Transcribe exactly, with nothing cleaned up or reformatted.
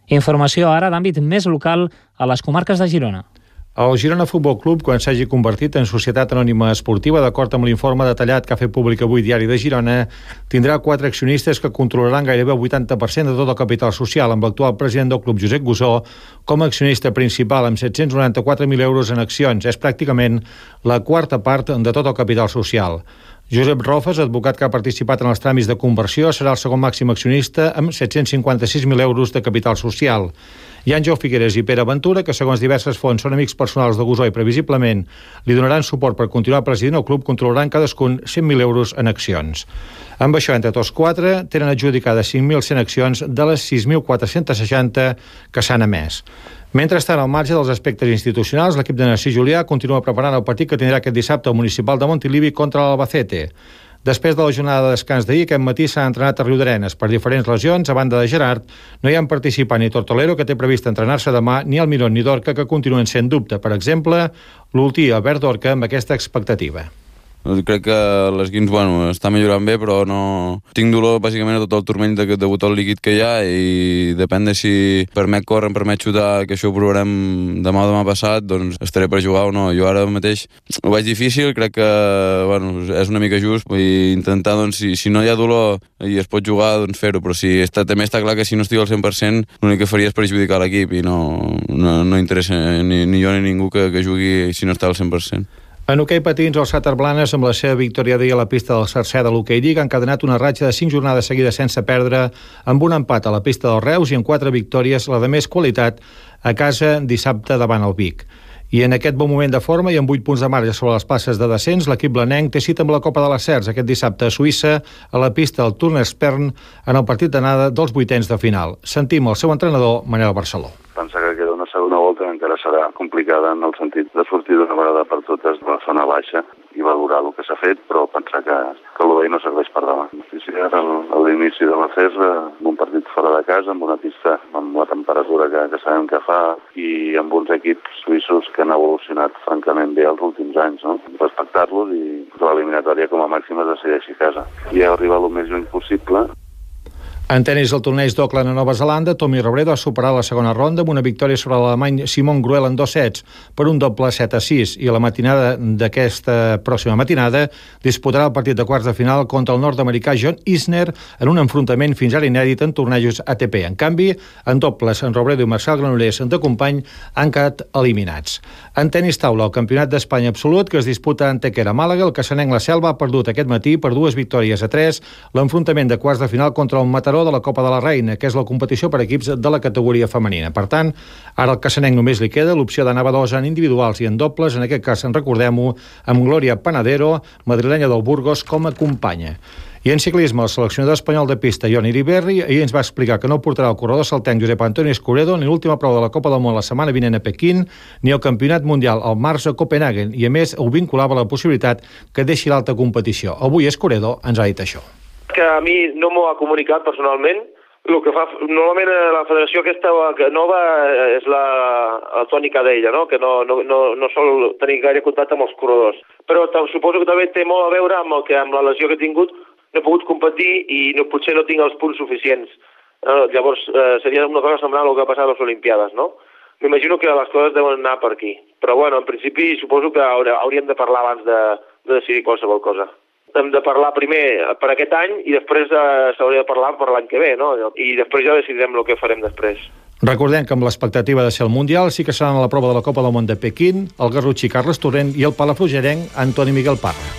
Informació ara d'àmbit més local a les comarques de Girona. El Girona Futbol Club, quan s'hagi convertit en societat anònima esportiva, d'acord amb l'informe detallat que ha fet públic avui Diari de Girona, tindrà quatre accionistes que controlaran gairebé el vuitanta per cent de tot el capital social, amb l'actual president del club, Josep Gusó, com a accionista principal, amb set-cents noranta-quatre mil euros en accions. És pràcticament la quarta part de tot el capital social. Josep Rofes, advocat que ha participat en els tràmits de conversió, serà el segon màxim accionista amb set-cents cinquanta-sis mil euros de capital social. I Àngel Figueres i Pere Ventura, que segons diverses fonts són amics personals de Gusó i previsiblement li donaran suport per continuar president el club, controlaran cadascun cent mil euros en accions. Amb això, entre tots quatre, tenen adjudicades cinc mil cent accions de les sis mil quatre-cents seixanta que s'han emès. Mentrestant, al marge dels aspectes institucionals, l'equip de Narcís Julià continua preparant el partit que tindrà aquest dissabte al municipal de Montilivi contra l'Albacete. Després de la jornada de descans d'ahir, aquest matí s'ha entrenat a Riudarenes per diferents lesions. A banda de Gerard, no hi ha participant ni Tortolero, que té previst entrenar-se demà, ni Almirón ni Dorca, que continuen sent dubte. Per exemple, l'últim Albert Dorca amb aquesta expectativa. Crec que l'esquins, bueno, està millorant bé, però no... Tinc dolor bàsicament a tot el turmell de, de botó líquid que hi ha i depèn de si permet córrer, em permet xutar, que això ho provarem demà o demà passat, doncs estaré per jugar o no. Jo ara mateix ho veig difícil, crec que, bueno, és una mica just i intentar, doncs, si, si no hi ha dolor i es pot jugar, doncs fer-ho, però si està, també està clar que si no estic al cent per cent l'únic que faria és perjudicar l'equip i no, no, no interessa ni, ni jo ni ningú que, que jugui si no està al cent per cent. En hoquei patins, els Sàter Blanes, amb la seva victòria d'ahir a la pista del Sarcè de l'Hockey Lliga, han encadenat una ratxa de cinc jornades seguides sense perdre, amb un empat a la pista del Reus i en quatre victòries, la de més qualitat, a casa dissabte davant el Vic. I en aquest bon moment de forma i amb vuit punts de marge sobre les places de descens, l'equip blanenc té cita amb la Copa de les Cercs aquest dissabte a Suïssa, a la pista del Turnerspern, en el partit d'anada dels vuitens de final. Sentim el seu entrenador, Manel Barceló. Pensa que queda una segona volta encara serà complicada en el sentit de sortir d'una vegada per totes de la zona baixa i valorar el que s'ha fet, però pensar que, que el bé no serveix per davant. Sí, sí, ara a l'inici de la C E S, amb un partit fora de casa, amb una pista amb la temperatura que, que sabem que fa i amb uns equips suïssos que han evolucionat francament bé els últims anys, no? Respectar-los i l'eliminatòria com a màxim es decideixi a casa. I arribar el més lluny possible. En tenis, el torneig d'Auckland a Nova Zelanda, Tommy Robredo ha superat la segona ronda amb una victòria sobre l'alemany Simon Gruel en dos sets per un doble set a sis, i a la matinada d'aquesta pròxima matinada disputarà el partit de quarts de final contra el nord-americà John Isner en un enfrontament fins ara inèdit en tornejos A T P. En canvi, en dobles, en Robredo i Marçal Granollers de company han quedat eliminats. En tenis taula, el Campionat d'Espanya absolut, que es disputa en Tequera, Màlaga, el caçanenc La Selva ha perdut aquest matí per dues victòries a tres l'enfrontament de quarts de final contra el Mataró de la Copa de la Reina, que és la competició per equips de la categoria femenina. Per tant, ara al caçanenc només li queda l'opció d'anar a dos en individuals i en dobles, en aquest cas, en recordem-ho, amb Glòria Panadero, madrilenya del Burgos, com a companya. I en ciclisme, el seleccionador espanyol de pista, Ion Iriberri, ahir ens va explicar que no portarà el corredor saltenc Josep Antoni Escoredo ni l'última prova de la Copa del Món la setmana vinent a Pequín, ni el Campionat Mundial al març a Copenhagen, i a més ho vinculava a la possibilitat que deixi l'alta competició. Avui Escoredo ens ha dit això. Que a mi no m'ho ha comunicat personalment. El que fa, normalment la federació aquesta nova és la, la tònica d'ella, no? Que no, no, no, no sol tenir gaire contacte amb els corredors. Però suposo que també té molt a veure amb, el que, amb la lesió que he tingut. No he pogut competir i no, potser no tinc els punts suficients. Eh, llavors eh, seria una cosa semblant al que ha passat a les Olimpiades, no? M'imagino que les coses deuen anar per aquí. Però bueno, en principi suposo que hauríem de parlar abans de, de decidir qualsevol cosa. Hem de parlar primer per aquest any i després eh, s'hauria de parlar per l'any que ve, no? I després ja decidirem el que farem després. Recordem que amb l'expectativa de ser el Mundial sí que seran a la prova de la Copa del Món de Pequín el garrotxí Carles Torrent i el palafrugellenc Antoni Miguel Parra.